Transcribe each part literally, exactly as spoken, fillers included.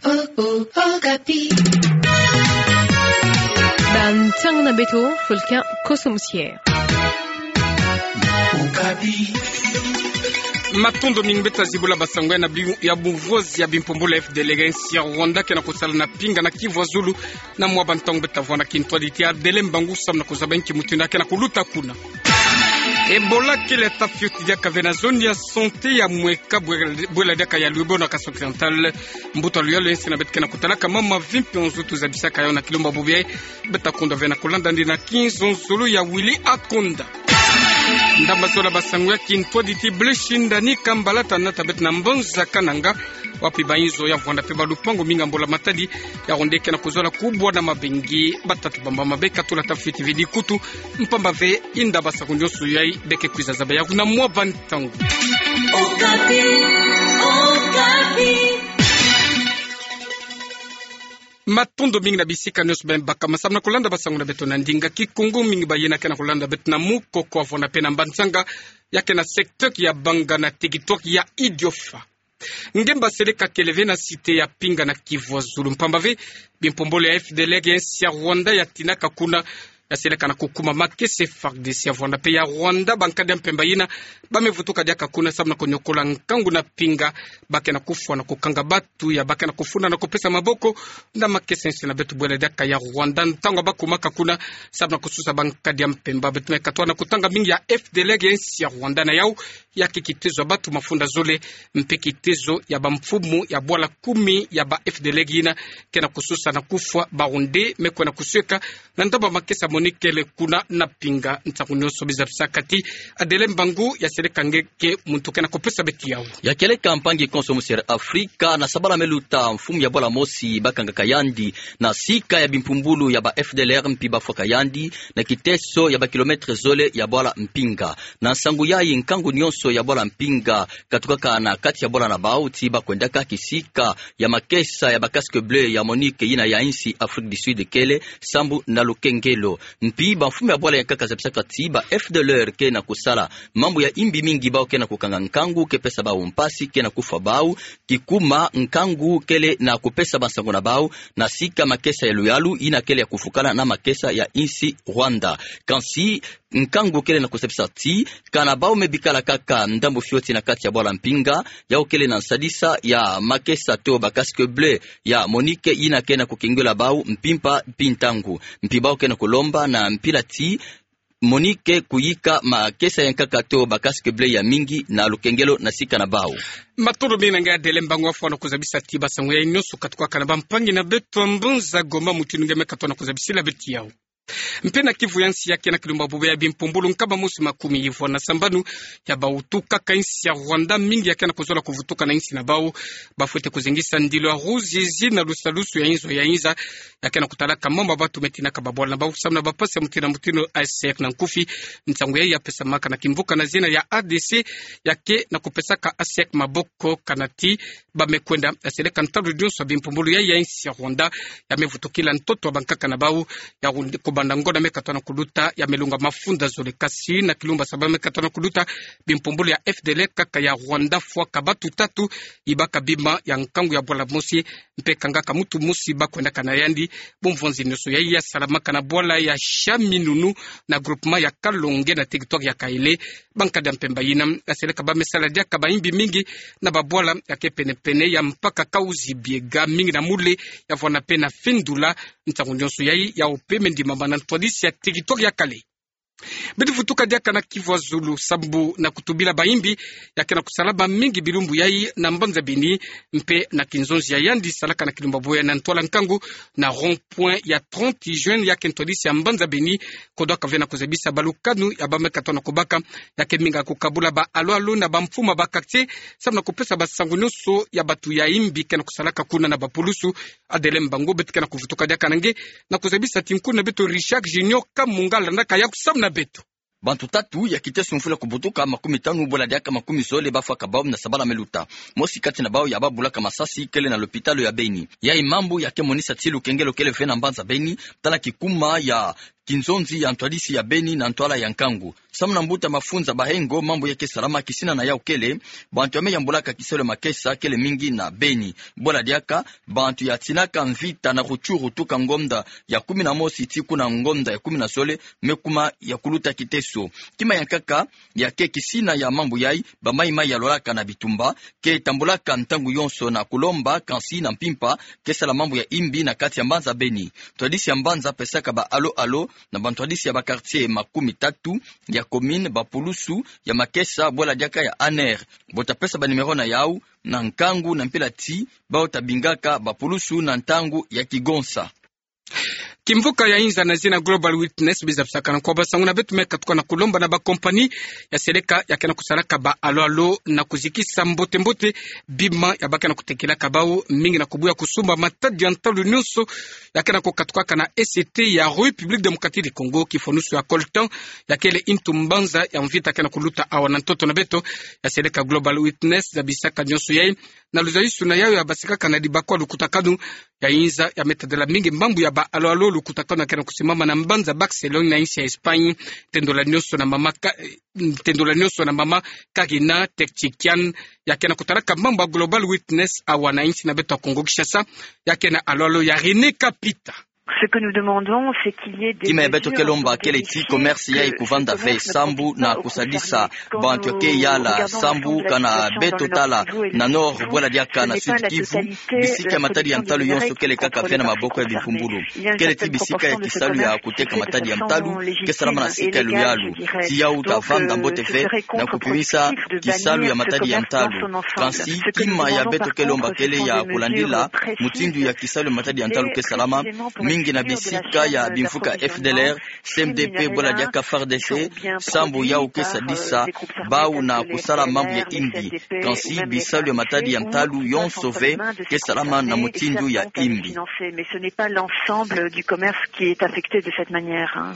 Oh, oh, Okapi. Bantang na beto, Fulcan Kosomusier. Okapi. Matondo mingi. Beta zibula basango ya na bi-, ya buvozi ya bimpumbulu ya F D L R ya insi ya Rwanda ke na kusala na Pinga na Kivu ya Zulu. Na mwa bantango beta vwa na kintwaditi ya Adele Mbangu samu na kuzaba nki mutindu ya ke na kuluta kuna. Ebola kele ata fioti diaka ve na zone ya santé ya Mweka, bwe-, bwela diaka ya Lwebo na Kasai Oriental. Mbuta luyalo ya insi na beto ke na kutalaka mama vimpi nzutu zabisaka yawu na kilumbu bubu yayi. Beta kondwa ve na kulanda ndi na kinzonzolo ya Willy Akonda. Ndamba zola basango ya kintwaditi. Blaise Shindani Kambala ta nata beto na mbanza Kananga, wapi ba inzo ya vwanda mpe ba lupangu mingi ya mbula matadi, ya ronde ke na kuzola kubwa na mabengi. Batatu bamba mabe katula ata fioti ve dikutu, mpamba ve inda basango nyonso yayi beke kwiza zaba yawu na mwa bantango. Okapi, Okapi. Matondo mingi na bisika nyonso beno baka masamu na kulanda basango na beto na ndinga Kikongo. Mingi ba yina ke na kulanda beto na mukoko wa vwanda mpe na mbanzanga, ya ke na secteur ya Banga na territoire ya Idiofa. Ngemba seleka kele ve na cité ya Pinga na Kivu ya Zulu, mpamba ve bimpumbulu ya F D L R ya insi ya Rwanda ya tinaka kuna, ya seleka na kukuma makesa F A R D C ya vwanda mpe ya Rwanda. Bankadi ya mpemba yina ba me vutuka diaka kuna samu na kunyokola nkangu na Pinga, ba ke na kufwa na kukanga batu ya ba ke na kufunda na kupesa maboko na makesa ya insi na beto bwela diaka ya Rwanda. Ntangu ba kumaka kuna samu na kususa bankadi ya mpemba, beto me katuka na kutanga mingi ya F D L R ya insi ya Rwanda na yawu ya ke kitezo ya batu mafunda zole, mpe kitezo ya bamfumu ya bwala kumi ya ba F D L R yina ke na kususa na kufwa. Ba Rwandais me kwenda kusweka na ndambu ya makesa MONUC kele kuna na Pinga. Ntangu nyonso biza bisaka ti Adele Mbangu ya seleka nge ke muntu ke na kupesa beto yawu. Ya kieleka mpangi Kosomusier Afrika, na sabala me luta mfumu ya bwala mosi ba kangaka yandi na sika ya bimpumbulu ya ba F D L R mpi ba fwaka yandi na kiteso ya ba kilomètre zole ya bwala Mpinga. Na nsangu yayi, nkangu nyonso ya bwala Mpinga katukaka na kati ya bwala na bawu ti ba kwendaka kisika ya makesa ya ba casque bleu ya MONUC yina ya insi Afrique du Sud kele sambu na lukengelo. Mpi bamfumu ya bwala ya nkaka zabisaka ti ba F D L R ke na kusala mambu ya imbi mingi, bawu ke na kukanga nkangu ke pesa bawu mpasi, ke na kufwa bawu, kikuma nkangu kele na kupesa bansango na bawu na sika makesa ya luyalu yina kele ya kufukana na makesa ya insi Rwanda. Kansi nkangu kele na kusepisa ti kana bawu me bikala kaka ndambu fioti na kati ya bwala Mpinga, yawu kele na nsadisa ya makesa to ba casque bleu ya MONUC yina ke na kukengela bawu mpimpa mpi ntangu. Mpi bawu ke na kulomba na mpila ti MONUC kuyika makesa ya nkaka to ba casque bleu ya mingi na lukengelo na sika na bawu. Matondo mingi na nge Adele Mbangu wa fwana kuzabisa ti basango yayi nyonso katukaka na bampangi na beto ya mbanza Goma, mutindu nge me katuka na kuzabisila beto yawu. Mpe na Kivu ya nsi, ya ke na kilumbu bubu yayi bimpumbulu nkama mosi makumi yivwa na sambanu ya bawutukaka insi ya Rwanda, mingi ya ke na kuzola kuvutuka na insi na bawu. Ba fwete kuzengisa ndilo ya ruzizi na lusalusu ya inzo ya inza, ya ke na kutalaka mama batu me tinaka babwala na bawu samu na bampasi ya mutindu na mutindu, ACR na nkufi. Nsangu yayi ya pesamaka na kimvuka na zina ya A D C, ya ke na kupesaka ACR maboko, kana ti ba me kwenda ya seleka ntandu nyonso bimpumbulu yayi ya insi ya Rwanda ya me vutukila ntoto ya bankaka na bawu, ya rund-, kubanda ngonda me katuka na kuluta, ya me lunga mafunda zole. Kansi na kilumbu ya saba me katuka na kuluta, bimpumbulu ya F D L R kaka ya Rwanda fwaka batu tatu, yibaka bima ya nkangu ya bwala mosi, mpe kangaka muntu mosi ba kwendaka na yandi. Bumvonzi nyonso yayi ya salamaka na bwala ya Shaminunu na groupement ya Kalonge na territoire ya Kaele. Bankadi ya mpemba yina ya seleka ba me sala diaka bayimbi mingi na babwala ya ke pene-pene ya mpaka Kahuzi-Biega, mingi na Mule, ya vwanda mpe na Fendula. Ntangu nyonso yayi, yawu mpe me ndimama na ntwadisi ya territoire ya Kale. Beto vutuka diaka na Kivu ya Zulu sambu na kutubila bayimbi ya ke na kusalama mingi bilumbu yayi na mbanza Beni, mpe na kinzonzi ya yandi salaka na kilumbu bubu yayi na ntwala nkangu na rond-point ya trente juin, ya ke ntwadisi ya mbanza Beni, kodwaka ve na kuzabisa balukanu ya ba me katuka na kubaka, ya ke minga kukabula ba alo-alo na bamfumu ya ba quartier samu na kupesa basango nyonso ya batu ya imbi ke na kusalaka kuna na bapulusu. Adele Mbangu, beto ke na kuvutuka diaka na nge na kuzabisa ti nkuna beto Richard Junior Kamunga landaka yawu samu na beto. Bantu tatu ya kiteso mfulu ya kubutuka makumi tanu bwela diaka makumi zole ba fwaka bawu na sabala me luta. Mosi kati na bawu ya ba bulaka masasi kele na lopitalo ya Beni. Yayi mambu ya ke monisa ti lukengelo kele ve na mbanza Beni, tala kikuma ya kinzonzi ya ntwadisi ya beni na ntwala ya nkangu. Samu na mbuta mafunza bahengo, mambu ya ke salama kisina na yau kele bantu ya me yambulaka kisalu ya makesa kele mingi na beni. Bwala diaka, bantu ya tinaka mvita na Rutshuru tuka ngonda ya kumi na mosi tii kuna ngonda ya kumi na zole me kuma ya kuluta kiteso. Kima ya nkaka ya ke kisina ya mambu yai, bamayi-mayi ya lolaka na bitumba ke tambulaka ntangu yonso na kulomba, kansi na mpimpa ke sala mambu ya imbi na kati ya mbanza beni. Ntwadisi ya mbanza pesaka ba alo-alo na bantwadisi ya ba quartier makumi tatu ya commune, bapulusu ya makesa, bwala diaka ya aner. Bo ta pesa ba numéro na yau na nkangu na mpila tii bau ta bingaka bapulusu na ntangu ya kigonsa. Kimvuka ya inza na zina Global Witness biza bisaka na nkwa basangu na beto me katuka na kulomba na ba compagnie ya seleka ya ke na kusalaka ba alo-alo na kuzikisa mbote-mbote bima ya ba ke na kutekelaka bau, mingi na kubuya kusumba matadi ya ntalu nyonso ya ke na kukatukaka na E C T ya République Démocratique du Congo, kifwanusu ya coltan, ya kele ntu mbanza ya mvita ke na kuluta awa na ntoto na beto. Ya seleka Global Witness zabisaka nyonso yai na luzayusu na yau ya basikaka na dibakwa lukutakanu ya inza ya me tadila mingi mambu ya ba alo-alo, lukutakanu ya ke na kusimama na mbanza Barcelone na insi ya Espagne, tendula nyonso na mama ka-, tendula nyonso na mama Karina Tekchikian, ya ke na kutalaka mambu ya Global Witness awa na insi na beto ya Congo Kinshasa, ya ke na alo-alo ya René Kapita. Ce que nous demandons, c'est qu'il y ait des mesures en faveur des commerces, que le commerce ne puisse pas se faire. Kima ya beto ke lomba kele ti commerce ya ikuvanda ve sambu na kusadisa bantu ya ke yala, sambu kana beto tala na Nord, bwala diaka na Sud Kivu, bisika ya matadi ya ntalu yonso kele kaka ve na maboko ya bimpumbulu. Kele ti bisika ya kisalu ya kuteka matadi ya ntalu ke salama na sika ya luyalu. Ti yau ta vanda mbote ve na kupimisa kisalu ya matadi ya ntalu. Kansi kima ya beto ke lomba kele ya kulandila mutindu ya kisalu ya matadi ya ntalu ke salama, mingi na bisika ya bimvuka F D L R, C M D P, bwala diaka F A R D C, sambu yau ke sadisa bau na kusala mambu ya imbi. Kansi bisalu ya matadi ya ntalu yonso ve ke salama na mutindu ya imbi. Mais ce n'est pas l'ensemble du commerce qui est affecté de cette manière, hein.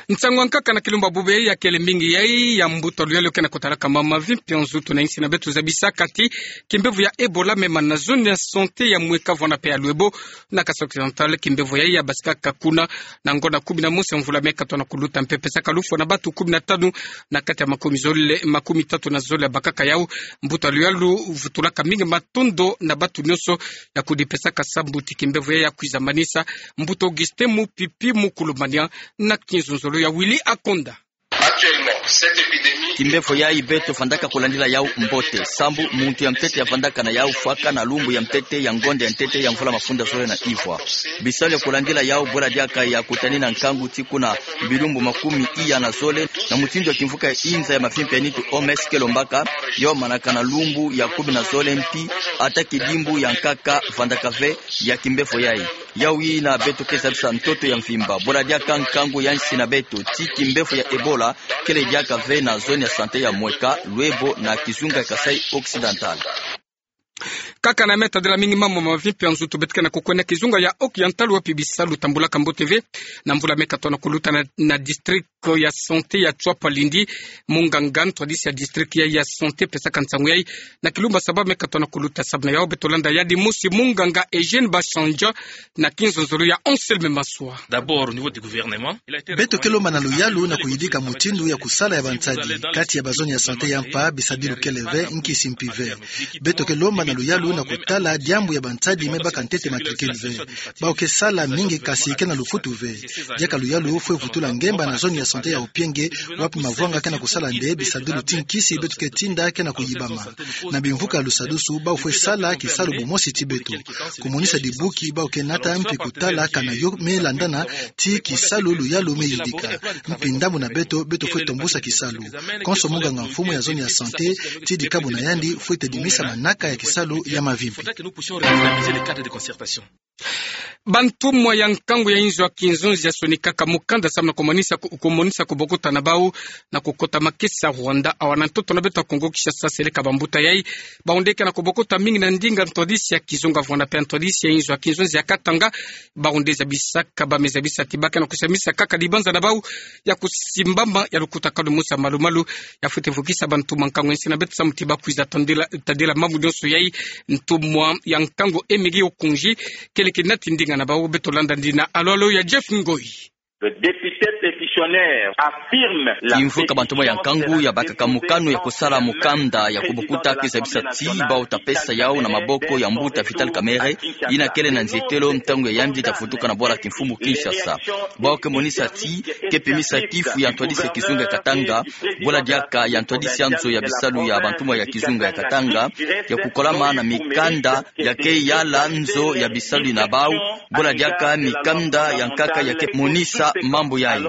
Nsangu ya nkaka na kilumbu bubu yai ya kele mingi yai ya mbuta luyalu ke na kutalaka mama mavimpi ya nzutu na insi na beto zabisaka ti kimbevo ya Ebola me mana na zone ya santé ya Mweka, Vuana pe ya Luebo, na Kasaï Occidental. Kimbevo yai ya basikaka kuna na ngonda kumi na mosi ya mvula me katono kuluta mpe pesaka lufwa na batu kumi na tanu na kati ya makumi zole, makumi tatu na zole ya bakaka yau. Mbuta luyalu vutulaka mingi matondo na batu nyonso ya kudipesaka sambu ti kimbevo yai ya kwiza manisa. Mbuta Augustin Mupipi Mukulumania na kinzonzolo ya Willy Akonda. Kimbevo yai beto vandaka kulandila yau mbote, sambu muntu ya ntete ya vandaka na yau fwaka na lumbu ya ntete ya ngonda ya ntete ya mvula mafunda zole na ivwa. Bisalu ya kulandila yau bwela diaka ya kutani na nkangu ti kuna bilumbu makumi iya na zole, na mutindu ya kimvuka ya inza ya mavimpi ya nitu O M S ke lombaka, yo manaka na lumbu ya kumi na zole mpi, ata kidimbu ya nkaka vandaka ve ya kimbevo yai. Yau yina beto ke zabisa ntoto ya mvimba, bwela diaka nkangu ya nsi na beto ti kimbevo ya Ebola kele diaka ve na zone ya santé ya Mweka, Luebo na kizunga ya Kasaï Occidental. Kaka na me tadila mingi mambu mavimpi ya nzutu, beto ke na kukwenda kizunga ya Occidental wapi bisalu tambulaka mbote ve. Na mvula me katono kuluta na, na district ya santé ya Tshuapa-Lindi, munganga ntwadisi ya district ya, ya santé pesaka nsangu yai na kilumbu saba me katono kuluta. Samu na yau beto landa yandi mosi munganga Eugène Bashanja na kinzonzolo ya Anselme Maswa. D'abord, au niveau du gouvernement, il a été recommandé. Beto ke lomba na luyalu na kuyidika mutindu ya kusala ya bansadi kati ya bazone ya santé ya mpa, bisadilu kele ve, nkisi mpi ve. Beto ke lomba na luyalu na kutala diambu ya bansadi me baka ntete makilkil ve. Bau ke sala mingi kasi ke na lufutu ve. Diaka luyalu fwe vutula ngemba na zone ya santé ya Opienge, wapi mavwanga ke na kusala nde bisadilu ti nkisi beto ke tinda ke na kuyibama. Na bimvuka lusadusu, bau fwe sala kisalu bumosi ti beto. Kumonisa dibuki bau ke nata mpi kutala kana yo me landana ti kisalu luyalu me yidika. Mpi ndambu na beto, beto fwe tombusa kisalu. Konso munganga mfumu ya zone ya santé, ti dikabu na yandi fwe tedimisa manaka ya kisalu ya mavimpi. Bantumwa ya nkangu ya inzo ya kinzonzi ya sonikaka mukanda samu na kumonisa ku-, kumonisa kubokota na bau na kukota makesa Rwanda. Awa na ntoto na beto ya Kongo Kinshasa, seleka bambuta yai, bau nde ke na kubokota mingi na ndinga ntwadisi ya kizunga Rwanda mpe ntwadisi ya inzo ya kinzonzi ya Katanga. Bau nde zabisaka, ba me zabisa ti ba ke na kusamisa kaka dibanza na bau ya kusimbama ya lukutakanu musa malu-malu, ya fwete vukisa bantumwa nkangu ya nsi na beto samu ti ba kwiza tadila, tadila mambu nyonso yai. Ntumwa ya nkangu Emigio Kunji, kele ke nati ndinga Na bawu beto landa ndina alo alo ya Jeff Ngoi. Le député pétitionnaire affirme la... Kimvuka bantu mo ya nkangu ya bakaka mokano ya kusala mokanda ya kubukuta ke zabisa ti bawu ta pesa yawu na maboko ya mbuta Vital Kamerhe, yina kele na nzietelo ntangu ya yandi ta vutuka na bwala kimfumu Kinshasa. Bawu ke monisa ti ke pimisa kifu ya ntwadisi ya kizunga ya Katanga, bwala diaka ya ntwadisi ya nzo ya bisalu ya bantu mo ya kizunga ya Katanga, ya kukolama na mikanda ya ke yala nzo ya bisalu na bawu, bwala diaka mikanda ya nkaka ya ke monisa mambu yayi.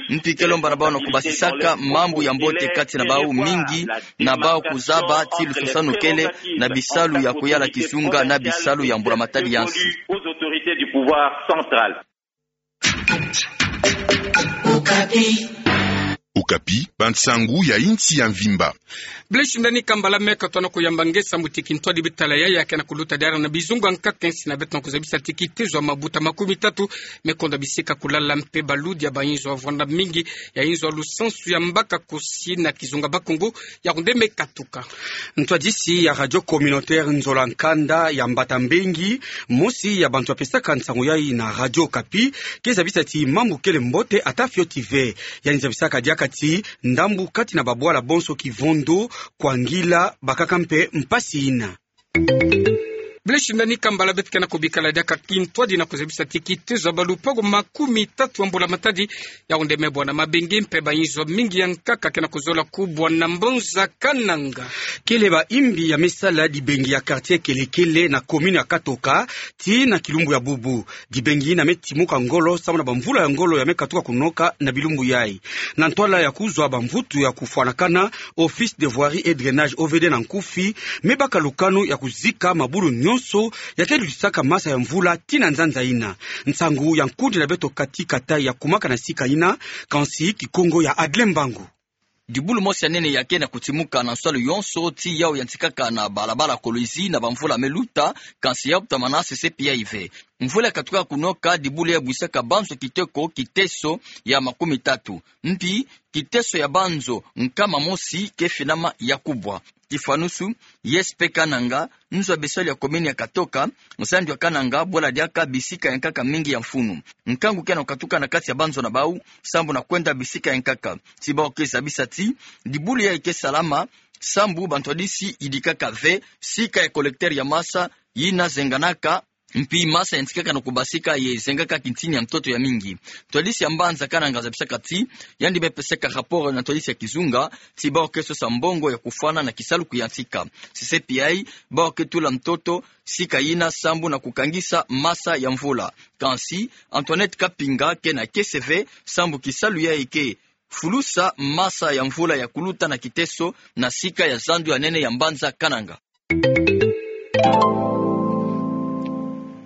Mpi ke lomba na bawu na kubasisaka mambu ya mbote kati na bawu mingi, na bawu kuzaba ti lususanu kele na bisalu ya kuyala kizunga na bisalu ya mbula matadi ya nsi. Aux autorités du pouvoir central. Okapi, bansangu ya insi ya mvimba. Blaise Ndani Kambala meka tona kuyamba nge sambu ti kintwadi bitala yayi ya ke na kuluta diara na bizunga nkaka nsi na beto na kuzabisa ti kitezo ya mabuta makumi tatu me konda bisika kulala mpe baludi ya bayinzo ya vwanda mingi ya inzo ya lusansu ya mbaka kusi na kizunga Bakongo ya kunde me katuka. Ntwadisi ya radio communautaire Nzola Nkanda ya Mbata Mbengi, mosi ya bantu ya pesaka nsangu yayi na Radio Okapi, ke zabisa ti mambu kele mbote ata fioti ve. Yandi zabisaka diaka ti ndambu kati na babwala bonso Kivondo, Kwangila, bakaka mpe mpasi yina. Blaise Ndani Kambala, beto ke na kubikala diaka kintwadi na kuzabisa ti kitezo ya balupangu makumi tatu ya mbula matadi ya kunde me bwana, mabengi mpe bayinzo mingi ya nkaka ke na kuzola kubwa na mbanza Kananga. Kele bayimbi ya me sala dibengi ya quartier kele-kele na commune ya Katoka, tii na kilumbu ya bubu. Dibengi yina me timuka ngolo sambu na bamvula ya ngolo ya me katuka kunoka na bilumbu yayi. Na ntwala ya kuzwa bamvutu ya kufwanakana, Office de Voirie et Drainage, O V D na nkufi, me baka lukanu ya kuzika mabulu nyonso ya ke lutisaka masa ya mvula tii na nzanza yina. Nsangu ya nkundi na beto Cathy Katai ya kumaka na sika yina, kansi Kikongo ya Adlin Mbangu. Dibulu mosi ya nene ya ke na kutimuka na nsalu yonso, tii yawu yantikaka na balabala Kolwezi na bamvula me luta, kansi ya kutamana C C P I ve. Mvula ya katuka kunoka, dibulu ya bwisaka banzo kiteko kiteso ya makumi tatu. Mpi kiteso ya banzo nkama mosi ke finama ya kubwa. Tifwanusu, I S P Kananga, nzo ya bisalu ya commune ya Katoka, zando ya Kananga, bwala diaka bisika ya nkaka mingi ya mfunu. Nkangu ke na kukatuka na kati ya banzo na bawu sambu na kwenda bisika ya nkaka. Tii bawu ke zabisa ti dibulu yayi ke salama sambu bantwadisi yidikaka ve sika ya collecteur ya masa yina zenganaka, mpi masa yantikaka na kubasika ye zengaka kintini ya ntoto ya mingi. Ntwadisi ya mbanza Kananga zabisaka ti yandi me pesaka rapport na ntwadisi ya kizunga, tii bawu ke sosa mbongo ya kufwana na kisalu kuyantika. C C P I, bawu ke tula ntoto sika yina sambu na kukangisa masa ya mvula. Kansi Antoinette Kapinga ke na kiese ve sambu kisalu yayi ke fulusa masa ya mvula ya kuluta na kiteso na sika ya zando ya nene ya mbanza Kananga.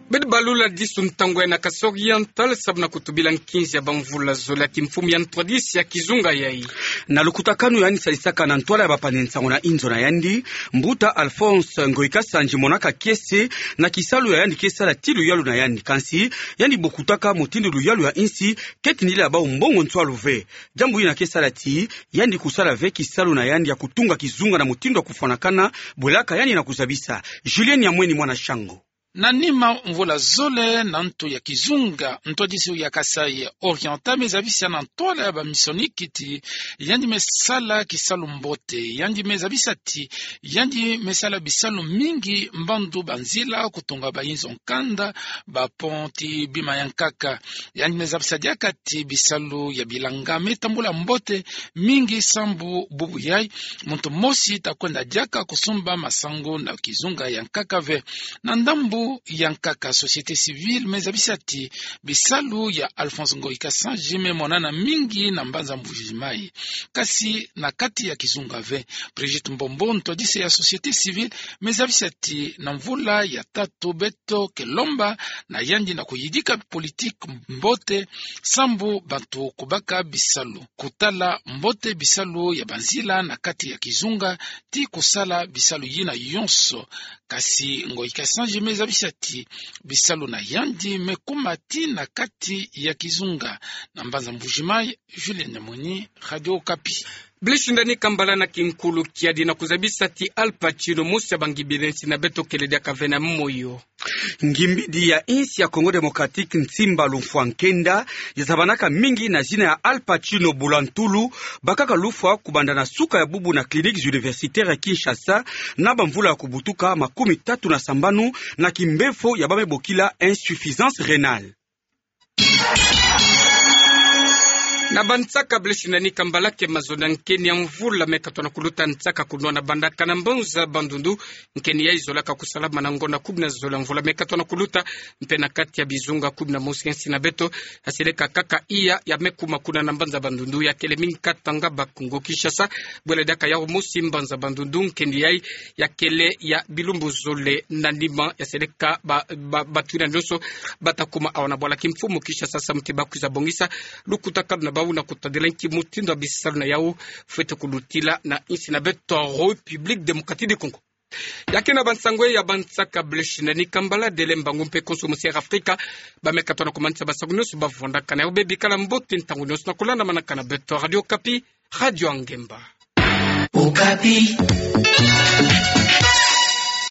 Bedi balula disu ntangu yayi na Kasaï Oriental sambu na kutubila nkinzi ya bamvula zole ya kimfumu ya ntwadisi ya kizunga yayi. Na lukutakanu yandi sadisaka na ntwala ya bapani nsangu na inzo na yandi, mbuta Alphonse Ngoyi Kasanji monaka kiese na kisalu ya yandi ke sala tii luyalu na yandi. Kansi yandi bokutaka mutindu luyalu ya insi ke tindila bawu mbongo nswalu ve. Diambu yina ke sala ti yandi kusala ve kisalu na yandi ya kutunga kizunga na mutindu ya kufwanakana, bwelaka yandi na kuzabisa. Julien Nyamweni, mwana Shango. Na nima mvula zole na ntu ya kizunga, ntwadisi ya Kasaï Oriental me zabisa na ntwala ya bamisioniki ti yandi me sala kisalu mbote. Yandi me zabisa ti yandi me sala bisalu mingi, mbandu banzila, kutunga bayinzo nkanda, bapont, bima ya nkaka. Yandi me zabisa diaka ti bisalu ya bilanga me tambula mbote mingi sambu bubu yayi muntu mosi ta kwenda diaka kusumba masangu na kizunga ya nkaka ve. Na ndambu ya nkaka, société civile me zabisa ti bisalu ya Alphonse Ngoyi Kasanji me monana mingi na mbanza Mbuji Mayi, kasi na kati ya kizunga ve. Brigitte Mbombo, ntwadisi ya société civile, me zabisa ti na mvula ya tatu beto ke lomba na yandi na kuyidika politique mbote sambu bantu kubaka bisalu, kutala mbote bisalu ya banzila na kati ya kizunga, tii kusala bisalu yina yonso. Kasi Ngoyi Kasanji me zabisa ti bisalu na yandi me kuma tii na kati ya kizunga. Na mbanza Mbuji Mayi, Julien Nyamweni, Radio Okapi. Blaise Ndani Kambala na kinkulu kiadi na kuzabisa ti Al Pacino, mosi ya bangimbidi nsi na beto, kele diaka ve na moyo. Ngimbidi ya insi ya Congo Démocratique, Nsimba Lumfwa Nkenda, ya zabanaka mingi na zina ya Al Pacino Bulantulu, bakaka lufwa kubanda na suka ya bubu na Cliniques Universitaires ya Kinshasa, na bamvula ya kubutuka makumi tatu na sambanu, na kimbefo ya ba me bokila insuffisance rénale. Na bansaka, Blaise Ndani Kambala ke mazono ya nkeni ya mvula me katono kuluta nsaka kunwa na bandaka na mbanza Bandundu. Nkeni yai zolaka kusalama na ngonda kumi na zole ya mvula me katono kuluta, mpe na kati ya bizunga kumi na mosi ya nsi na beto, ya seleka kaka iya ya me kuma kuna na mbanza Bandundu, ya kele mingi katanga Bas-Congo Kinshasa. Bwele diaka yau mosi mbanza Bandundu, nkeni yai ya kele ya bilumbu zole na nima, ya seleka ba, ba, batu yina nyonso bata kuma awa na bwala kimfumu Kinshasa, samu ti bakwiza bongisa lukutakanu na bau na kutadila nki mutindu ya bisalu na yau fwete kulutila na nsi na beto République Démocratique du Congo. Ya ke na bansango ya bansaka, Blaise Ndani Kambala. Dele Mbangu mpe konso mosi ya Air Afrika ba me katono kumanisa basango nyonso bavwandaka na yau. Bebikala mbote ntangu nyonso na kulandamanaka na beto Radio Okapi, radio ya ngemba. Okapi.